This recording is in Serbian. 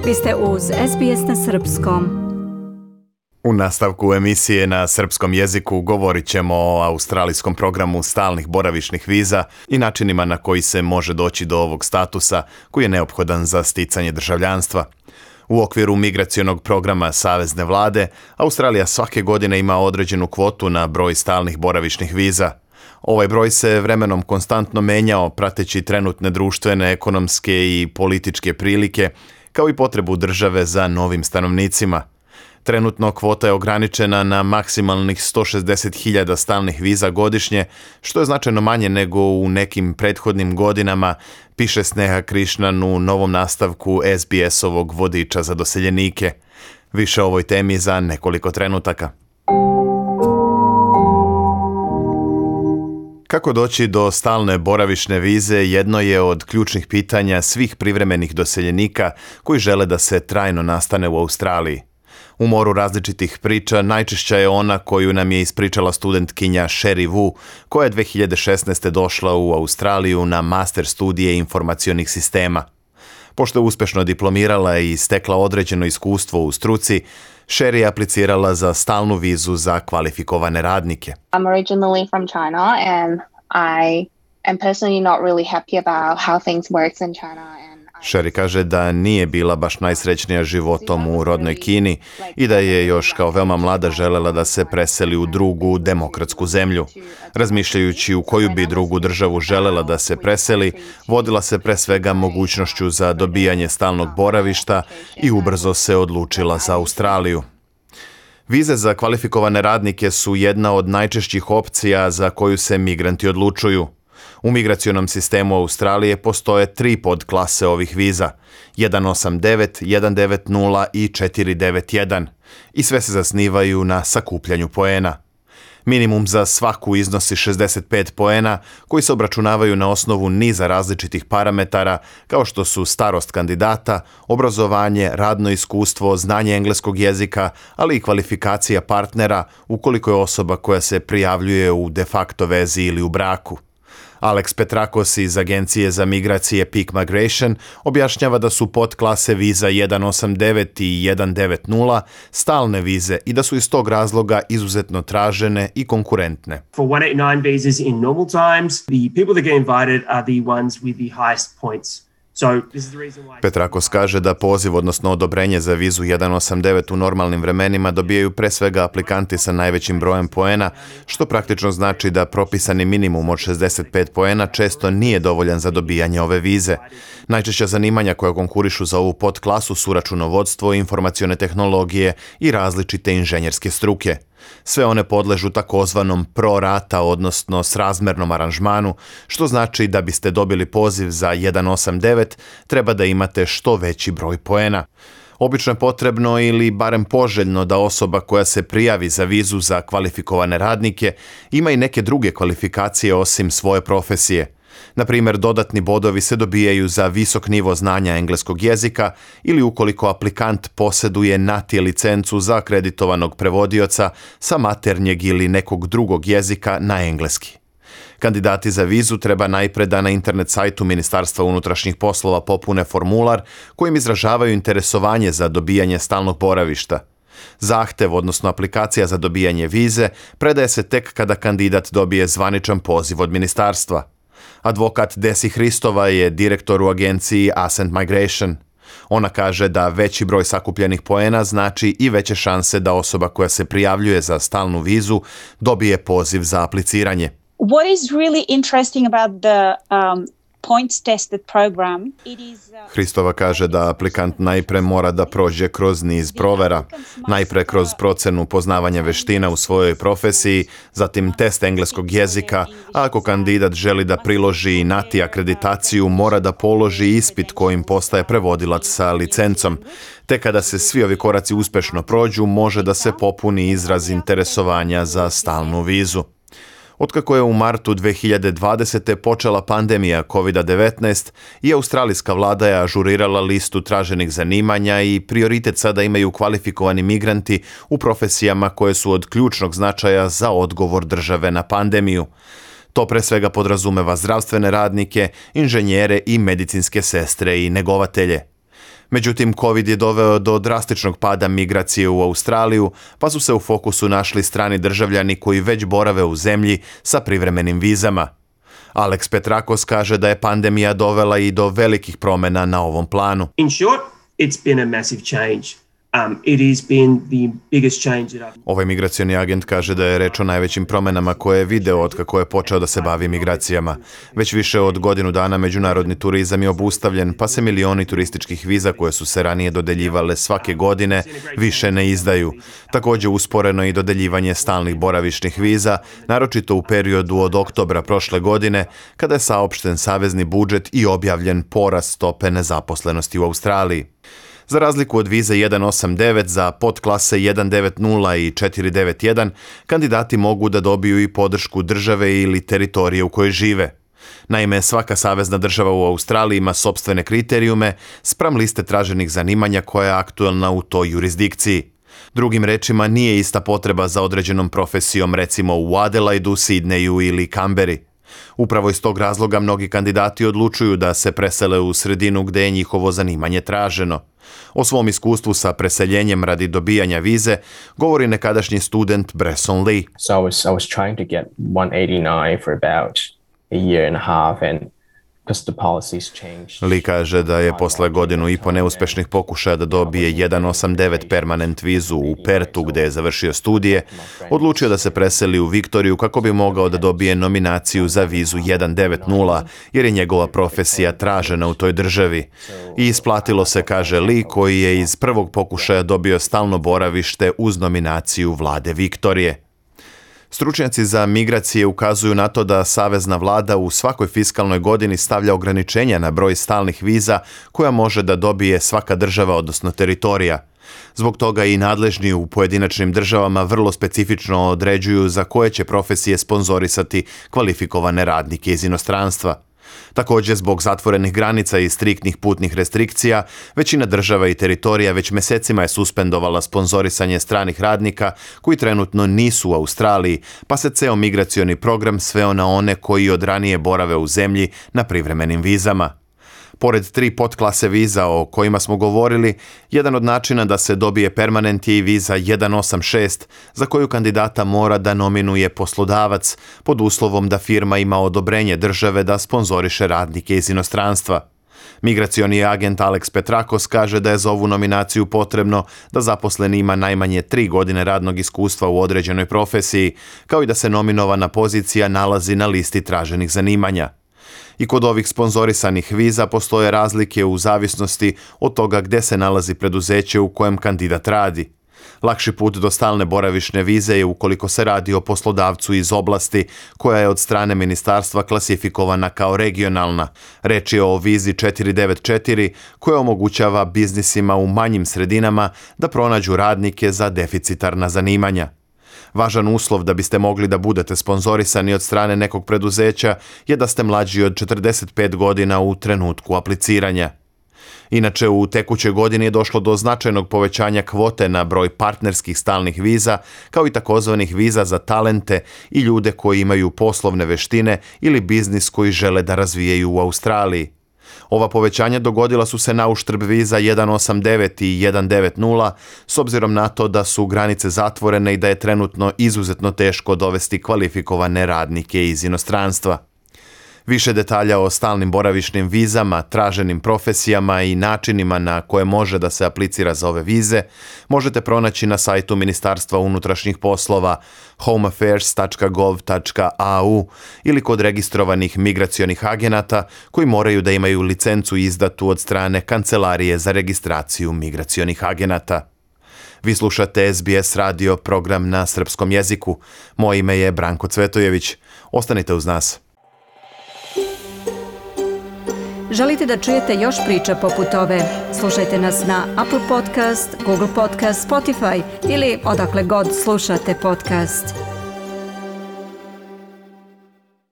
Vi ste uz SBS na srpskom. U nastavku emisije na srpskom jeziku govorit ćemo o australijskom programu stalnih boravišnih viza i načinima na koji se može doći do ovog statusa koji je neophodan za sticanje državljanstva. U okviru migracionog programa Savezne vlade, Australija svake godine ima određenu kvotu na broj stalnih boravišnih viza. Ovaj broj se vremenom konstantno menjao prateći trenutne društvene, ekonomske i političke prilike, kao i potrebu države za novim stanovnicima. Trenutno kvota je ograničena na maksimalnih 160.000 stalnih viza godišnje, što je značajno manje nego u nekim prethodnim godinama, piše Sneha Krishnan u novom nastavku SBS-ovog vodiča za doseljenike. Više o ovoj temi za nekoliko trenutaka. Kako doći do stalne boravišne vize jedno je od ključnih pitanja svih privremenih doseljenika koji žele da se trajno nastane u Australiji. U moru različitih priča najčešća je ona koju nam je ispričala studentkinja Sherry Wu, koja je 2016. došla u Australiju na master studije informacionih sistema. Pošto je uspešno diplomirala i stekla određeno iskustvo u struci, Sherry je aplicirala za stalnu vizu za kvalifikovane radnike. I'm originally from China and I am personally not really happy about how things works in China. Sherry kaže da nije bila baš najsrećnija životom u rodnoj Kini i da je još kao veoma mlada želela da se preseli u drugu demokratsku zemlju. Razmišljajući u koju bi drugu državu želela da se preseli, vodila se pre svega mogućnošću za dobijanje stalnog boravišta i ubrzo se odlučila za Australiju. Vize za kvalifikovane radnike su jedna od najčešćih opcija za koju se migranti odlučuju. U migracionom sistemu Australije postoje 3 podklase ovih viza, 189, 190 i 491, i sve se zasnivaju na sakupljanju poena. Minimum za svaku iznosi 65 poena, koji se obračunavaju na osnovu niza različitih parametara, kao što su starost kandidata, obrazovanje, radno iskustvo, znanje engleskog jezika, ali i kvalifikacija partnera ukoliko je osoba koja se prijavljuje u de facto vezi ili u braku. Alex Petrakos iz Agencije za migracije Peak Migration objašnjava da su podklase viza 189 i 190 stalne vize i da su iz tog razloga izuzetno tražene i konkurentne. For 189 visas in normal times, the people that get invited are the ones with the highest points. Petrakos kaže da poziv, odnosno odobrenje za vizu 189 u normalnim vremenima dobijaju pre svega aplikanti sa najvećim brojem poena, što praktično znači da propisani minimum od 65 poena često nije dovoljan za dobijanje ove vize. Najčešća zanimanja koja konkurišu za ovu podklasu su računovodstvo, informacione tehnologije i različite inženjerske struke. Sve one podležu takozvanom pro rata, odnosno srazmernom aranžmanu, što znači da biste dobili poziv za 189, treba da imate što veći broj poena. Obično je potrebno ili barem poželjno da osoba koja se prijavi za vizu za kvalifikovane radnike ima i neke druge kvalifikacije osim svoje profesije. Na primjer, dodatni bodovi se dobijaju za visok nivo znanja engleskog jezika ili ukoliko aplikant posjeduje NATI licencu za akreditovanog prevodioca sa maternjeg ili nekog drugog jezika na engleski. Kandidati za vizu treba najpre da na internet sajtu Ministarstva unutrašnjih poslova popune formular kojim izražavaju interesovanje za dobijanje stalnog boravišta. Zahtev, odnosno aplikacija za dobijanje vize, predaje se tek kada kandidat dobije zvaničan poziv od ministarstva. Advokat Desi Hristova je direktor u agenciji Ascent Migration. Ona kaže da veći broj sakupljenih poena znači i veće šanse da osoba koja se prijavljuje za stalnu vizu dobije poziv za apliciranje. What is really interesting about the points tested program, Hristova kaže da aplikant najpre mora da prođe kroz niz provera, najpre kroz procenu poznavanja veština u svojoj profesiji, zatim test engleskog jezika, a ako kandidat želi da priloži i NATI akreditaciju, mora da položi ispit kojim postaje prevodilac sa licencom. Te kada se svi ovi koraci uspešno prođu, može da se popuni izraz interesovanja za stalnu vizu. Otkako je u martu 2020. počela pandemija COVID-19 i australijska vlada je ažurirala listu traženih zanimanja i prioritet sada imaju kvalifikovani migranti u profesijama koje su od ključnog značaja za odgovor države na pandemiju. To pre svega podrazumeva zdravstvene radnike, inženjere i medicinske sestre i negovatelje. Međutim, COVID je doveo do drastičnog pada migracije u Australiju, pa su se u fokusu našli strani državljani koji već borave u zemlji sa privremenim vizama. Alex Petrakos kaže da je pandemija dovela i do velikih promjena na ovom planu. In short, it's been a massive change. It has been the biggest change that I've... Ovaj migracioni agent kaže da je reč o najvećim promjenama koje je video od kako je počeo da se bavi migracijama. Već više od godinu dana međunarodni turizam je obustavljen, pa se milioni turističkih viza koje su se ranije dodeljivale svake godine više ne izdaju. Također usporeno i dodeljivanje stalnih boravišnih viza, naročito u periodu od oktobra prošle godine, kada je saopšten savezni budžet i objavljen porast stope nezaposlenosti u Australiji. Za razliku od vize 189 za podklase 190 i 491, kandidati mogu da dobiju i podršku države ili teritorije u kojoj žive. Naime, svaka savezna država u Australiji ima sopstvene kriterijume spram liste traženih zanimanja koja je aktuelna u toj jurisdikciji. Drugim rečima, nije ista potreba za određenom profesijom, recimo u Adelaidu, Sidneju ili Kamberi. Upravo iz tog razloga mnogi kandidati odlučuju da se presele u sredinu gde je njihovo zanimanje traženo. O svom iskustvu sa preseljenjem radi dobijanja vize govori nekadašnji student Bresson Lee. So I was trying to get 189 for about a year and a half, and because the policies changed. Lee kaže da je posle godinu i po neuspešnih pokušaja da dobije 189 permanent vizu u Pertu gde je završio studije, odlučio da se preseli u Viktoriju kako bi mogao da dobije nominaciju za vizu 190 jer je njegova profesija tražena u toj državi. I isplatilo se, kaže Lee, koji je iz prvog pokušaja dobio stalno boravište uz nominaciju vlade Viktorije. Stručnjaci za migracije ukazuju na to da savezna vlada u svakoj fiskalnoj godini stavlja ograničenja na broj stalnih viza koja može da dobije svaka država, odnosno teritorija. Zbog toga i nadležni u pojedinačnim državama vrlo specifično određuju za koje će profesije sponzorisati kvalifikovane radnike iz inostranstva. Također, zbog zatvorenih granica i striktnih putnih restrikcija, većina država i teritorija već mesecima je suspendovala sponzorisanje stranih radnika koji trenutno nisu u Australiji, pa se ceo migracioni program sveo na one koji od ranije borave u zemlji na privremenim vizama. Pored 3 podklase viza o kojima smo govorili, jedan od načina da se dobije permanent je i viza 186, za koju kandidata mora da nominuje poslodavac, pod uslovom da firma ima odobrenje države da sponzoriše radnike iz inostranstva. Migracioni agent Alex Petrakos kaže da je za ovu nominaciju potrebno da zaposleni ima najmanje 3 godine radnog iskustva u određenoj profesiji, kao i da se nominovana pozicija nalazi na listi traženih zanimanja. I kod ovih sponzorisanih viza postoje razlike u zavisnosti od toga gde se nalazi preduzeće u kojem kandidat radi. Lakši put do stalne boravišne vize je ukoliko se radi o poslodavcu iz oblasti koja je od strane ministarstva klasifikovana kao regionalna. Reč je o vizi 494 koja omogućava biznisima u manjim sredinama da pronađu radnike za deficitarna zanimanja. Važan uslov da biste mogli da budete sponzorisani od strane nekog preduzeća je da ste mlađi od 45 godina u trenutku apliciranja. Inače, u tekućoj godini je došlo do značajnog povećanja kvote na broj partnerskih stalnih viza, kao i takozvanih viza za talente i ljude koji imaju poslovne veštine ili biznis koji žele da razvijaju u Australiji. Ova povećanja dogodila su se na uštrb viza 189 i 190, s obzirom na to da su granice zatvorene i da je trenutno izuzetno teško dovesti kvalifikovane radnike iz inostranstva. Više detalja o stalnim boravišnim vizama, traženim profesijama i načinima na koje može da se aplicira za ove vize možete pronaći na sajtu Ministarstva unutrašnjih poslova homeaffairs.gov.au ili kod registrovanih migracionih agenata koji moraju da imaju licencu izdatu od strane Kancelarije za registraciju migracionih agenata. Vi slušate SBS radio, program na srpskom jeziku. Moje ime je Branko Cvetojević. Ostanite uz nas. Želite da čujete još priča poput ove? Slušajte nas na Apple Podcast, Google Podcast, Spotify ili odakle god slušate podcast.